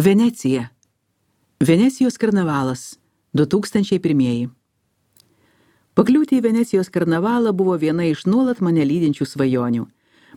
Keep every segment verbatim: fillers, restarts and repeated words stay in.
Venecija. Venecijos karnavalas. du tūkstančiai pirmieji. Pakliūti į Venecijos karnavalą buvo viena iš nuolat mane lydinčių svajonių.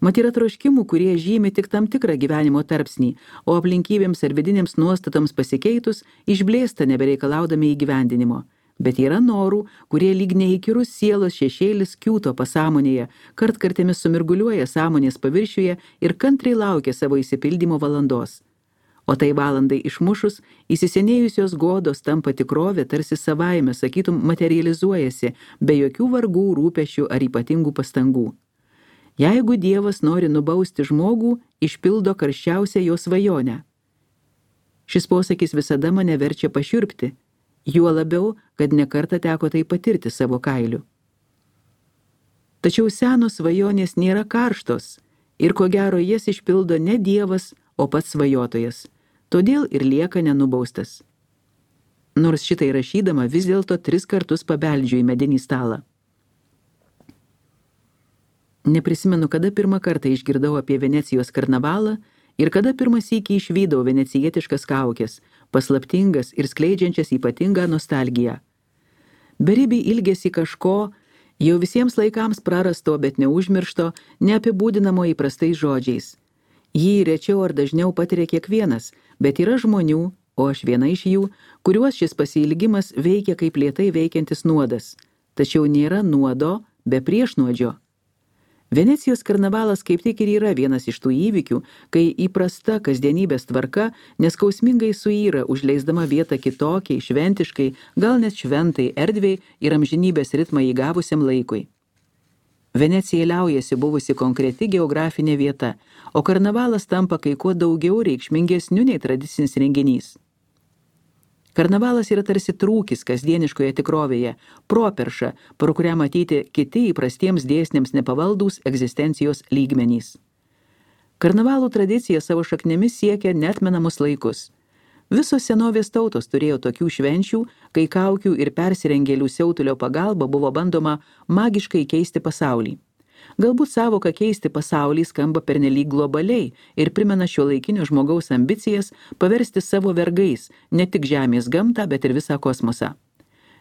Mat yra troškimų, kurie žymi tik tam tikrą gyvenimo tarpsnį, o aplinkybėms ar vidinėms nuostatoms pasikeitus išblėsta nebereikalaudami įgyvendinimo. Bet yra norų, kurie lyg neįkyrus sielos šešėlis kiūto pasąmonėje, kartkartėmis sumirguliuoja sąmonės paviršiuje ir kantriai laukia savo įsipildymo valandos. O tai valandai išmušus, įsisenėjusios godos tampa tikrovė tarsi savaime, sakytum, materializuojasi, be jokių vargų, rūpesčių ar ypatingų pastangų. Jeigu Dievas nori nubausti žmogų, išpildo karščiausią jo svajonę. Šis posakis visada mane verčia pašiurpti, juo labiau, kad nekartą teko tai patirti savo kailiu. Tačiau senos svajonės nėra karštos ir ko gero jas išpildo ne Dievas, o pats svajotojas. Todėl ir lieka nenubaustas. Nors šitai rašydama vis dėlto tris kartus pabeldžiu į medinį stalą. Neprisimenu, kada pirmą kartą išgirdau apie Venecijos karnavalą ir kada pirmą sykį išvydau venecijietiškas kaukės, paslaptingas ir skleidžiančias ypatingą nostalgiją. Beribį ilgesį kažko, jau visiems laikams prarasto, bet neužmiršto, neapibūdinamo įprastais žodžiais. Jį rečiau ar dažniau patiria kiekvienas, bet yra žmonių, o aš viena iš jų, kuriuos šis pasiilgimas veikia kaip lėtai veikiantis nuodas. Tačiau nėra nuodo be priešnuodžio. Venecijos karnavalas kaip tik ir yra vienas iš tų įvykių, kai įprasta kasdienybės tvarka neskausmingai suyra, užleisdama vietą kitokiai, šventiškai, gal net šventai erdvei ir amžinybės ritmą įgavusiam laikui. Venecija liaujasi buvusi konkreti geografinė vieta, o karnavalas tampa kai kuo daugiau reikšmingesniu nei tradicinis renginys. Karnavalas yra tarsi trūkis kasdieniškoje tikrovėje, properša, pro kurią matyti kiti įprastiems dėsniams nepavaldūs egzistencijos lygmenys. Karnavalų tradicija savo šaknėmis siekia neatmenamus laikus. Visos senovės tautos turėjo tokių švenčių, kai kaukių ir persirengėlių siautulio pagalba buvo bandoma magiškai keisti pasaulį. Galbūt savoka keisti pasaulį skamba pernelyg globaliai ir primena šiuolaikinio žmogaus ambicijas paversti savo vergais ne tik žemės gamtą, bet ir visą kosmosą.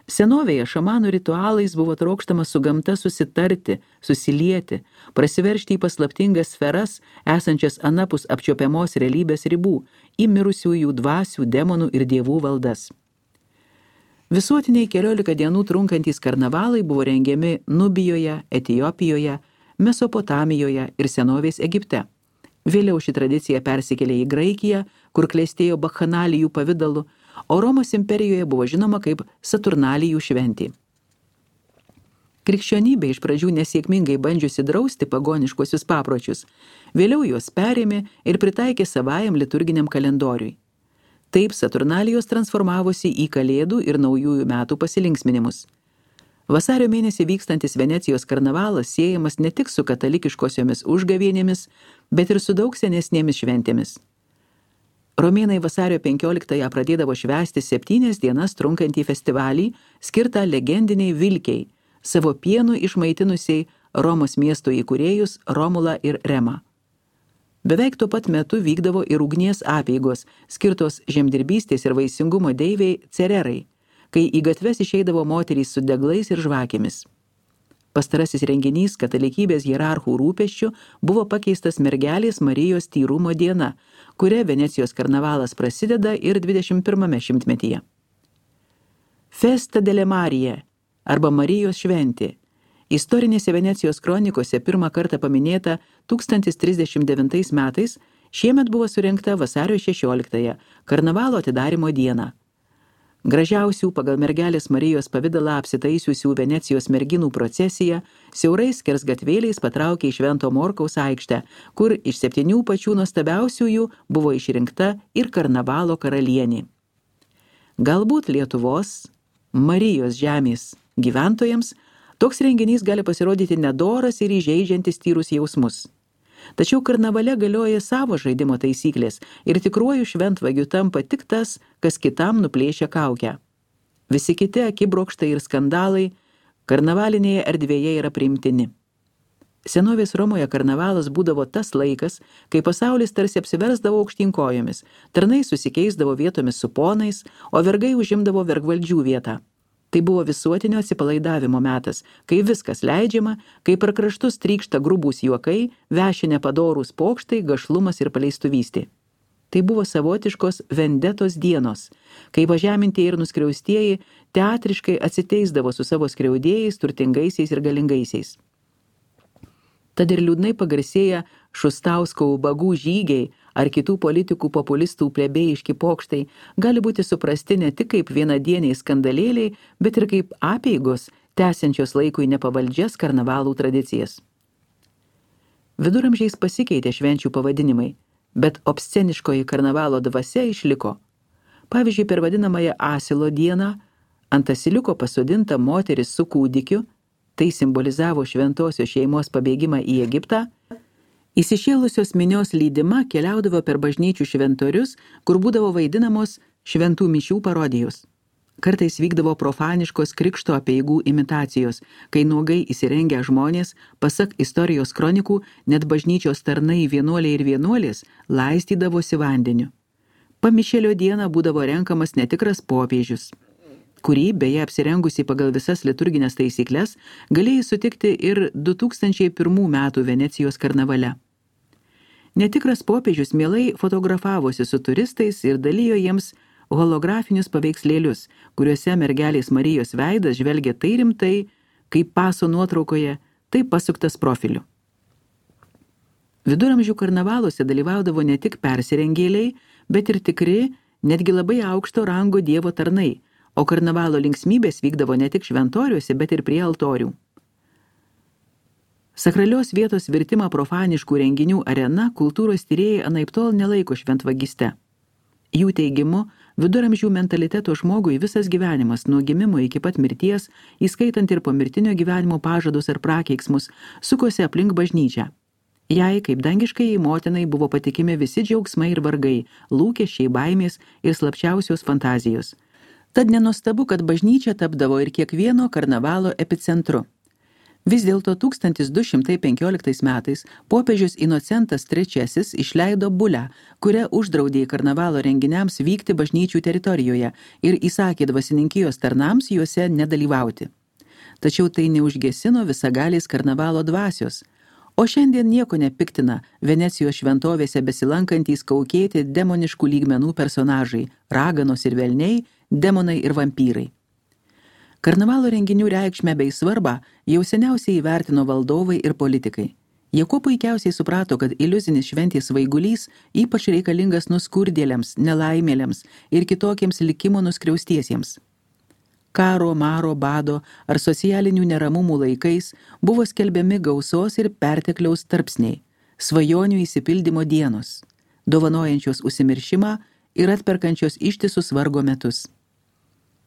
Senovėje šamanų ritualais buvo trokštama su gamta susitarti, susilieti, prasiveržti į paslaptingas sferas, esančias anapus apčiuopiamos realybės ribų, į mirusiųjų dvasių, demonų ir dievų valdas. Visuotiniai keliolika dienų trunkantys karnavalai buvo rengiami Nubijoje, Etiopijoje, Mesopotamijoje ir senovės Egipte. Vėliau ši tradicija persikėlė į Graikiją, kur klestėjo bakchanalijų pavidalu, o Romos imperijoje buvo žinoma kaip Saturnalijų šventė. Krikščionybė iš pradžių nesėkmingai bandžiusi drausti pagoniškuosius papročius, vėliau juos perėmė ir pritaikė savajam liturginiam kalendoriui. Taip Saturnalijos transformavosi į Kalėdų ir Naujųjų metų pasilinksminimus. Vasario mėnesį vykstantis Venecijos karnavalas siejamas ne tik su katalikiškosiomis užgavėnėmis, bet ir su daug senesnėmis šventėmis. Romėnai vasario penkioliktąją pradėdavo švęsti septynias dienas trunkantį festivalį, skirtą legendiniai Vilkiai, savo pienu išmaitinusiai Romos miesto įkūrėjus Romulą ir Remą. Beveik tuo pat metu vykdavo ir ugnies apeigos, skirtos žemdirbystės ir vaisingumo deivei Cererai, kai į gatves išeidavo moterys su deglais ir žvakėmis. Pastarasis renginys katalikybės hierarchų rūpesčių buvo pakeistas mergelės Marijos tyrumo diena, kuria Venecijos karnavalas prasideda ir dvidešimt pirmame šimtmetyje. Festa delle Marie arba Marijos šventė. Istorinėse Venecijos kronikose pirmą kartą paminėta tūkstantis trisdešimt devintais metais, šiemet buvo surengta vasario šešioliktąją, karnavalo atidarymo dieną. Gražiausių pagal mergelės Marijos pavidalą apsitaisiusių Venecijos merginų procesija siaurais skersgatvėliais patraukė į Švento Morkaus aikštę, kur iš septynių pačių nuostabiausiųjų buvo išrinkta ir karnavalo karalienė. Galbūt Lietuvos, Marijos žemės gyventojams toks renginys gali pasirodyti nedoras ir įžeidžiantis tyrus jausmus. Tačiau karnavale galioja savo žaidimo taisyklės ir tikruoju šventvagiu tampa tik tas, kas kitam nuplėšia kaukę. Visi kiti akibrokštai ir skandalai karnavalinėje erdvėje yra priimtini. Senovės Romoje karnavalas būdavo tas laikas, kai pasaulis tarsi apsiversdavo aukštyn kojomis, tarnai susikeisdavo vietomis su ponais, o vergai užimdavo vergvaldžių vietą. Tai buvo visuotinio atsipalaidavimo metas, kai viskas leidžiama, kai per kraštus trykšta grubūs juokai, veši nepadorūs pokštai, gašlumas ir paleistuvystė. Tai buvo savotiškos vendetos dienos, kai pažemintieji ir nuskriaustieji teatriškai atsiteisdavo su savo skriaudėjais, turtingaisiais ir galingaisiais. Tad ir liūdnai pagarsėję Šustausko ubagų žygiai ar kitų politikų populistų plebėjiški pokštai gali būti suprasti ne tik kaip vienadieniai skandalėliai, bet ir kaip apeigos, tęsiančios laikui nepavaldžias karnavalų tradicijas. Viduramžiais pasikeitė švenčių pavadinimai, bet obsceniškoji karnavalo dvasia išliko. Pavyzdžiui, per vadinamąją Asilo dieną ant asiliuko pasodinta moteris su kūdikiu, tai simbolizavo šventosios šeimos pabėgimą į Egiptą, įsišėlusios minios lydima keliaudavo per bažnyčių šventorius, kur būdavo vaidinamos šventų mišių parodijos. Kartais vykdavo profaniškos krikšto apeigų imitacijos, kai nuogai įsirengę žmonės, pasak istorijos kronikų, net bažnyčios tarnai vienuoliai ir vienuolės laistydavosi vandeniu. Pamišėlio dieną būdavo renkamas netikras popiežius, kurį, beje apsirengusi pagal visas liturginės taisykles, galėjai sutikti ir du tūkstančiai pirmų metų Venecijos karnavale. Netikras popiežius mielai fotografavosi su turistais ir dalijo jiems holografinius paveikslėlius, kuriuose mergelės Marijos veidas žvelgia tai rimtai, kaip paso nuotraukoje, tai pasuktas profiliu. Viduramžių karnavaluose dalyvaudavo ne tik persirengėliai, bet ir tikri, netgi labai aukšto rango dievo tarnai, o karnavalo linksmybės vykdavo ne tik šventoriuose, bet ir prie altorių. Sakralios vietos virtimą profaniškų renginių arena kultūros tyrėjai anaiptol nelaiko šventvagiste. Jų teigimu, viduramžių mentaliteto žmogui visas gyvenimas, nuo gimimo iki pat mirties, įskaitant ir pomirtinio gyvenimo pažadus ar prakeiksmus, sukosi aplink bažnyčią. Jai, kaip dangiškai motinai, buvo patikimi visi džiaugsmai ir vargai, lūkesčiai, baimės ir slapčiausios fantazijos. Tad nenuostabu, kad bažnyčia tapdavo ir kiekvieno karnavalo epicentru. Vis dėlto tūkstantis du šimtai penkioliktais metais popiežius Inocentas trečiasis išleido bulę, kuria uždraudė karnavalo renginiams vykti bažnyčių teritorijoje ir įsakė dvasininkijos tarnams juose nedalyvauti. Tačiau tai neužgesino visagalės karnavalo dvasios. O šiandien nieko nepiktina Venecijos šventovėse besilankantys kaukėti demoniškų lygmenų personažai, raganos ir velniai, demonai ir vampyrai. Karnavalo renginių reikšmę bei svarbą jau seniausiai įvertino valdovai ir politikai. Jie kuo puikiausiai suprato, kad iliuzinis šventės svaigulys ypač reikalingas nuskurdėliams, nelaimėliams ir kitokiems likimo nuskriaustiesiems. Karo, maro, bado ar socialinių neramumų laikais buvo skelbiami gausos ir pertekliaus tarpsniai, svajonių įsipildymo dienos, dovanojančios užsimiršimą ir atperkančios ištisus vargo metus.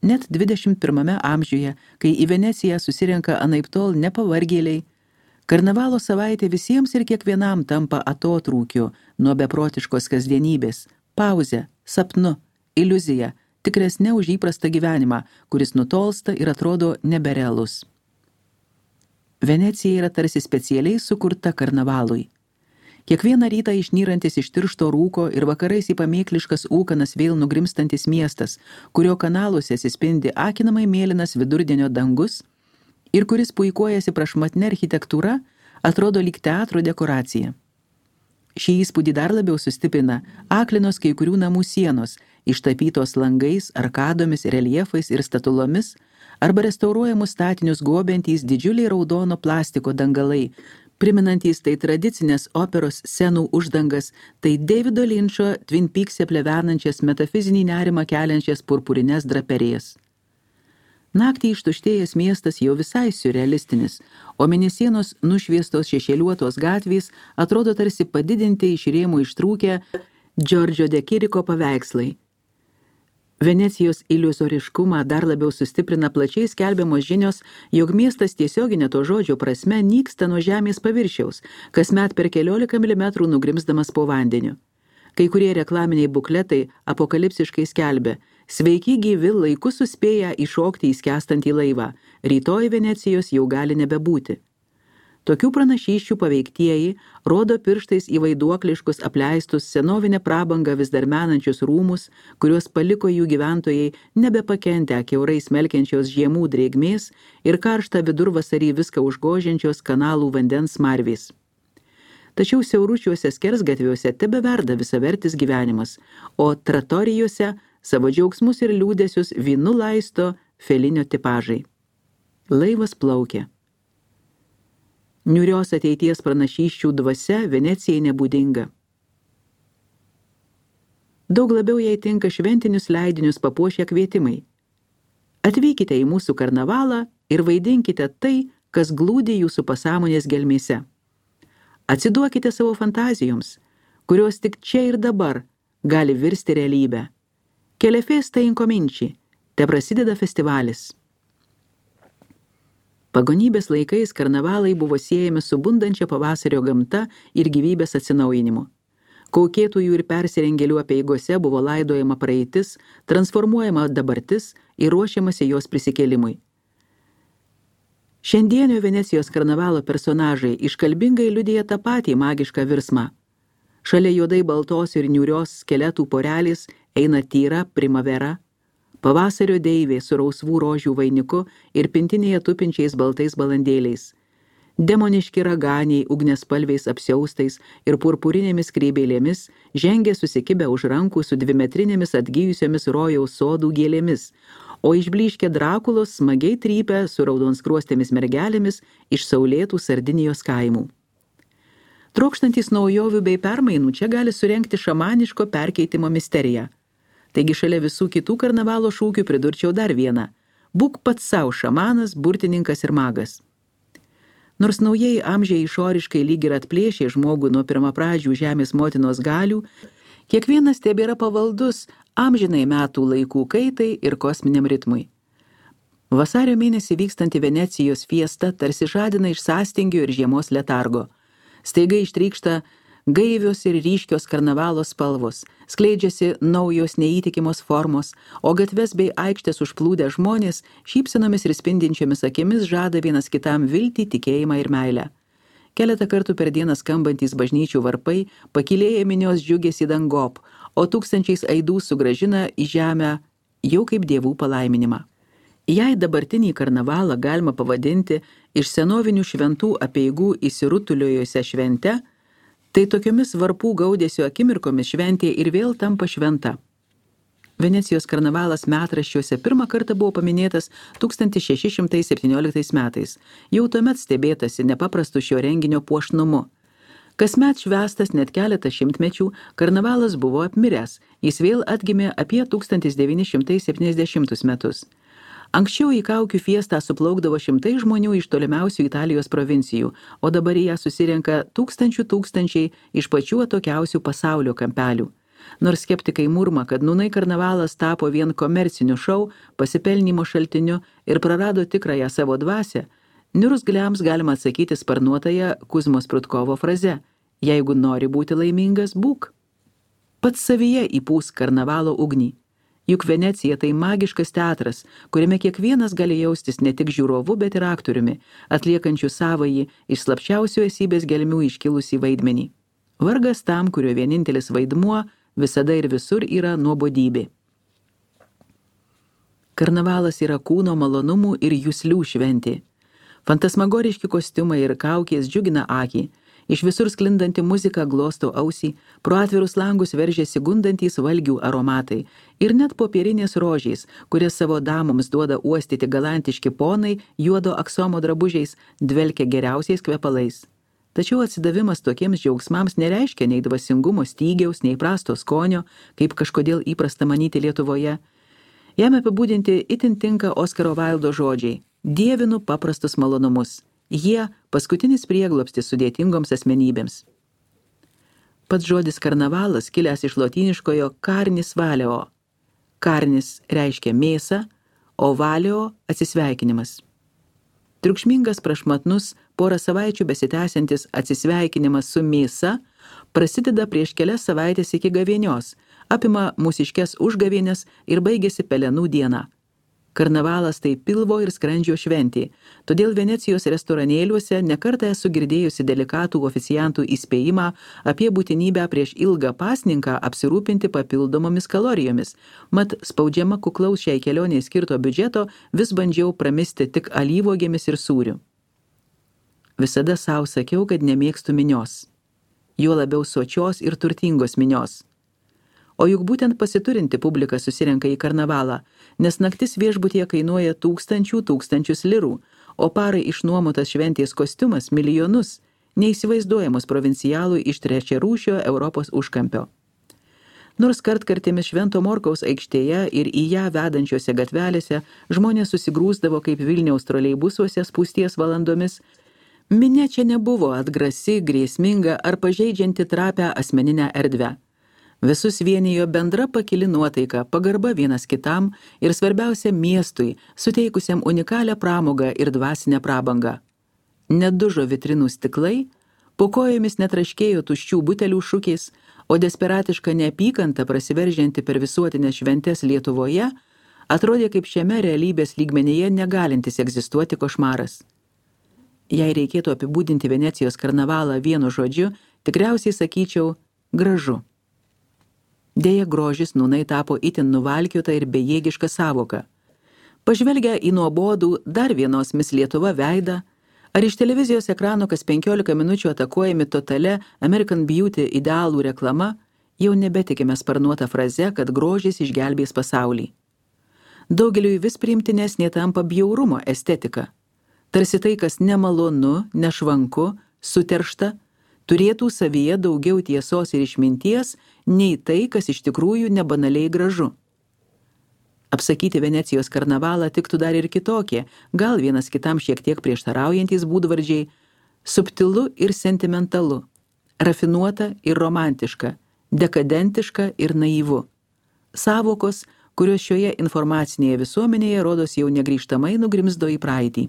Net dvidešimt pirmame amžiuje, kai į Veneciją susirenka anaiptol nepavargėliai, karnavalo savaitė visiems ir kiekvienam tampa atotrūkiu nuo beprotiškos kasdienybės, pauze, sapnu, iliuzija, tikresnė už įprastą gyvenimą, kuris nutolsta ir atrodo neberealus. Venecija yra tarsi specialiai sukurta karnavalui. Kiekvieną rytą išnyrantis iš tiršto rūko ir vakarais į pamėkliškas ūkanas vėl nugrimstantis miestas, kurio kanaluose atsispindi akinamai mėlynas vidurdienio dangus ir kuris puikuojasi prašmatnia architektūra, atrodo lyg teatro dekoracija. Šį įspūdį dar labiau sustiprina aklinos kai kurių namų sienos, ištapytos langais, arkadomis, reljefais ir statulomis, arba restauruojamus statinius gobiantys didžiuliai raudono plastiko dangalai, priminantys tai tradicinės operos scenų uždangas, tai Davido Linčo Twin Peaks'e plevenančias metafizinį nerimą keliančias purpurines draperijas. Naktį ištuštėjęs miestas jau visai siurrealistinis, o mėnesienos nušviestos šešėliuotos gatvės atrodo tarsi padidinti iš rėmų ištrūkę Giorgio de Chirico paveikslai. Venecijos iliuzoriškumą dar labiau sustiprina plačiai skelbiamos žinios, jog miestas tiesioginė to žodžio prasme nyksta nuo žemės paviršiaus, kasmet per keliolika milimetrų nugrimzdamas po vandeniu. Kai kurie reklaminiai bukletai apokalipsiškai skelbia: sveiki gyvi, laiku suspėję įšokti į skęstantį laivą, rytoj Venecijos jau gali nebebūti. Tokių pranašysčių paveiktieji rodo pirštais į vaiduokliškus apleistus senovinę prabangą vis dar menančius rūmus, kuriuos paliko jų gyventojai nebepakentę kiaurai smelkiančios žiemų drėgmės ir karštą vidurvasarį viską užgožiančios kanalų vandens smarvės. Tačiau siauručiuose skersgatviuose tebeverda visavertis gyvenimas, o tratorijose savo džiaugsmus ir liūdesius vynu laisto Felinio tipažai. Laivas plaukia. Niūrios ateities pranašysčių dvasia Venecijai nebūdinga. Daug labiau jai tinka šventinius leidinius papuošę kvietimai. Atvykite į mūsų karnavalą ir vaidinkite tai, kas glūdi jūsų pasąmonės gelmėse. Atsiduokite savo fantazijoms, kurios tik čia ir dabar gali virsti realybę. Che le feste incominci, te prasideda festivalis. Pagonybės laikais karnavalai buvo siejami su bundančia pavasario gamta ir gyvybės atsinaujinimu. Kaukėtųjų ir persirengėlių apeigose buvo laidojama praeitis, transformuojama dabartis ir ruošiamasi jos prisikėlimui. Šiandienio Venecijos karnavalo personažai iškalbingai liudija tą patį magišką virsmą. Šalia juodai baltos ir niūrios skeletų porelės eina tyra primavera, pavasario deivė su rausvų rožių vainiku ir pintinėje tupinčiais baltais balandėliais. Demoniški raganiai ugniaspalviais apsiaustais ir purpurinėmis kreibėlėmis žengia susikibę už rankų su dvimetrinėmis atgijusiomis rojaus sodų gėlėmis, o išblyškę Drakulos smagiai trypia su raudonskruostėmis mergelėmis iš saulėtų Sardinijos kaimų. Trokštantys naujovių bei permainų čia gali surengti šamaniško perkeitimo misteriją. Taigi šalia visų kitų karnavalo šūkių pridurčiau dar vieną – būk pats savo šamanas, burtininkas ir magas. Nors naujieji amžiai išoriškai lyg ir atplėšė žmogų nuo pirmapradžių žemės motinos galių, kiekvienas tebėra pavaldus amžinai metų laikų kaitai ir kosminiam ritmui. Vasario mėnesį vykstanti Venecijos fiesta tarsi žadina iš sąstingio ir žiemos letargo. Staiga ištrykšta gaivios ir ryškios karnavalo spalvos, skleidžiasi naujos neįtikimos formos, o gatves bei aikštės užplūdę žmonės šypsenomis ir spindinčiomis akimis žada vienas kitam viltį, tikėjimą ir meilę. Keletą kartų per dieną skambantys bažnyčių varpai pakylėja minios džiugesį dangop, o tūkstančiais aidų sugrąžina į žemę jau kaip dievų palaiminimą. Jei dabartinį karnavalą galima pavadinti iš senovinių šventų apeigų įsirutuliojusią švente, tai tokiomis varpų gaudesio akimirkomis šventė ir vėl tampa šventa. Venecijos karnavalas metraščiuose pirmą kartą buvo paminėtas tūkstantis šeši šimtai septynioliktais metais. Jau tuomet stebėtasi nepaprastu šio renginio puošnumu. Kasmet švęstas net keletą šimtmečių, karnavalas buvo apmiręs, jis vėl atgimė apie tūkstantis devyni šimtai septyniasdešimtus metus. Anksčiau į kaukių fiestą suplaukdavo šimtai žmonių iš tolimiausių Italijos provincijų, o dabar į ją susirenka tūkstančių tūkstančiai iš pačių atokiausių pasaulio kampelių. Nors skeptikai murma, kad nūnai karnavalas tapo vien komerciniu šou, pasipelnymo šaltiniu ir prarado tikrąją savo dvasią, niurzgliams galima atsakyti sparnuotąją Kuzmos Prudkovo fraze: jeigu nori būti laimingas, būk. Pats savyje įpūsk karnavalo ugnį. Juk Venecija tai magiškas teatras, kuriame kiekvienas gali jaustis ne tik žiūrovu, bet ir aktoriumi, atliekančių savąjį iš slapčiausių esybės gelmių iškilusį vaidmenį. Vargas tam, kurio vienintelis vaidmuo visada ir visur yra nuobodybė. Karnavalas yra kūno malonumų ir juslių šventė. Fantasmagoriški kostiumai ir kaukės džiugina akį, iš visur sklindanti muzika glosto ausį, pro atvirus langus veržiasi gundantys valgių aromatai ir net popierinės rožės, kurias savo damoms duoda uostyti galantiški ponai juodo aksomo drabužiais, dvelkia geriausiais kvepalais. Tačiau atsidavimas tokiems džiaugsmams nereiškia nei dvasingumo stygiaus, nei prasto skonio, kaip kažkodėl įprasta manyti Lietuvoje. Jam apibūdinti itin tinka Oskaro Vaildo žodžiai: dievinu paprastus malonumus. Jie paskutinis prieglobstis sudėtingoms asmenybėms. Pats žodis karnavalas kilęs iš lotyniškojo carnis valeo. Carnis reiškia mėsą, o valeo atsisveikinimas. Triukšmingas prašmatnus, porą savaičių besitęsiantis atsisveikinimas su mėsa prasideda prieš kelias savaitės iki gavėnios, apima mūsiškes užgavėnes ir baigėsi pelenų dieną. Karnavalas tai pilvo ir skrandžio šventė, todėl Venecijos restoranėliuose nekartą esu girdėjusi delikatų oficiantų įspėjimą apie būtinybę prieš ilgą pasninką apsirūpinti papildomomis kalorijomis, mat spaudžiama kuklaus šiai kelioniai skirto biudžeto vis bandžiau pramisti tik alyvuogėmis ir sūriu. Visada savo sakiau, kad nemėgstu minios, juo labiau sočios ir turtingos minios. O juk būtent pasiturinti publika susirenka į karnavalą, nes naktis viešbutyje kainuoja tūkstančių tūkstančius lirų, o parai išnuomotas šventės kostiumas milijonus, neįsivaizduojamos provincialų iš trečiarūšio Europos užkampio. Nors kartkartėmis Švento Morkaus aikštėje ir į ją vedančiose gatvelėse žmonės susigrūsdavo kaip Vilniaus troleibusuose spūsties valandomis, minia čia nebuvo atgrasi, grėsminga ar pažeidžianti trapią asmeninę erdvę. Visus vienijo bendra pakili nuotaika, pagarba vienas kitam ir svarbiausia miestui, suteikusiam unikalią pramogą ir dvasinę prabangą. Nedužo vitrinų stiklai, po kojomis netraškėjo tuščių butelių šūkiais, o desperatiška neapykanta prasiveržianti per visuotinės šventes Lietuvoje atrodė kaip šiame realybės lygmenyje negalintis egzistuoti košmaras. Jei reikėtų apibūdinti Venecijos karnavalą vienu žodžiu, tikriausiai sakyčiau gražu. Deja, grožis nūnai tapo itin nuvalkiota ir bejėgiška sąvoka. Pažvelgia į nuobodų dar vienos Miss Lietuva veidą, ar iš televizijos ekrano kas penkiolika minučių atakuojami totale American Beauty idealų reklama, jau nebetikime sparnuotą frazę, kad grožis išgelbės pasaulį. Daugeliui vis priimtinesnė tampa bjaurumo estetika. Tarsi tai, kas nemalonu, nešvanku, suteršta, turėtų savyje daugiau tiesos ir išminties, nei tai, kas iš tikrųjų nebanaliai gražu. Apsakyti Venecijos karnavalą tiktų dar ir kitokie, gal vienas kitam šiek tiek prieštaraujantys būdvardžiai, subtilu ir sentimentalu, rafinuota ir romantiška, dekadentiška ir naivu. Sąvokos, kurios šioje informacinėje visuomenėje rodos jau negrįžtamai nugrimzdo į praeitį.